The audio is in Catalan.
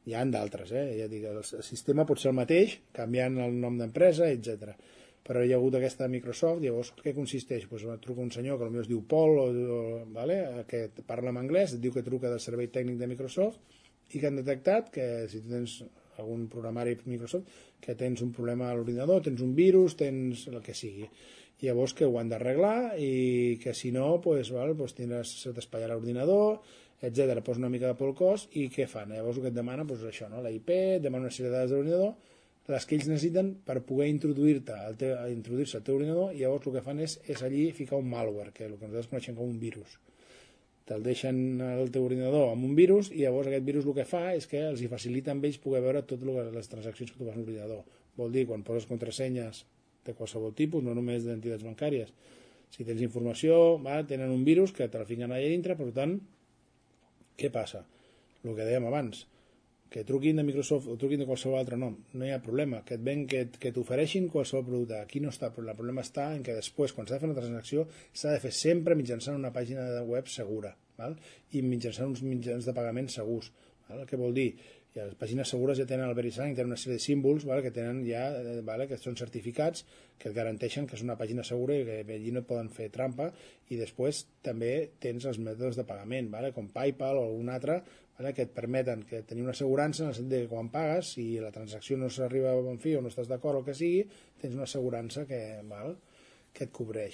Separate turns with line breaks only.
Hi ha d'altres, ja dic, el sistema pot ser el mateix, canviant el nom d'empresa, etc. Però hi ha hagut aquesta de Microsoft, llavors què consisteix? Pues truca un senyor que potser es diu Paul, vale? Que parla en anglès, et diu que truca del servei tècnic de Microsoft i que han detectat que si tens algun programari Microsoft, que tens un problema a l'ordinador, tens un virus, tens el que sigui. I llavors que ho han d'arreglar i que si no, pues, se t'espatllarà l'ordinador, etc. Posa una mica de por el cost i què fan? Llavors el que et demana és això, no? La IP, et demana una sèrie de dades de l'ordinador, les que ells necessiten per poder introduir-se al teu ordinador, i llavors el que fan és allí ficar un malware, que és el que nosaltres coneixem com un virus. Te'l deixen al teu ordinador amb un virus i llavors aquest virus el que fa és que els hi facilita amb ells poder veure totes les transaccions que tu fas a l'ordinador. Vol dir, quan poses contrasenyes de qualsevol tipus, no només d'entitats bancàries, si tens informació, tenen un virus que te la fiquen allà dintre, per tant, què passa? El que dèiem abans, que truquin de Microsoft o truquin de qualsevol altre nom, no hi ha problema, que et ven que t'ofereixin qualsevol producte, aquí no està, però el problema està en que després, quan s'ha de fer una transacció, s'ha de fer sempre mitjançant una pàgina de web segura, val? I mitjançant uns mitjans de pagament segurs, val? Què vol dir? I les pàgines segures ja tenen el VeriSign, tenen una sèrie de símbols, val? Que tenen ja, que són certificats, que et garanteixen que és una pàgina segura i que allí no poden fer trampa, i després també tens els mètodes de pagament, val? Com PayPal o algun altre, que et permeten que tenir una assegurança en el sentit que quan pagues, si la transacció no s'arriba a bon fi o no estàs d'acord o el que sigui, tens una assegurança que et cobreix.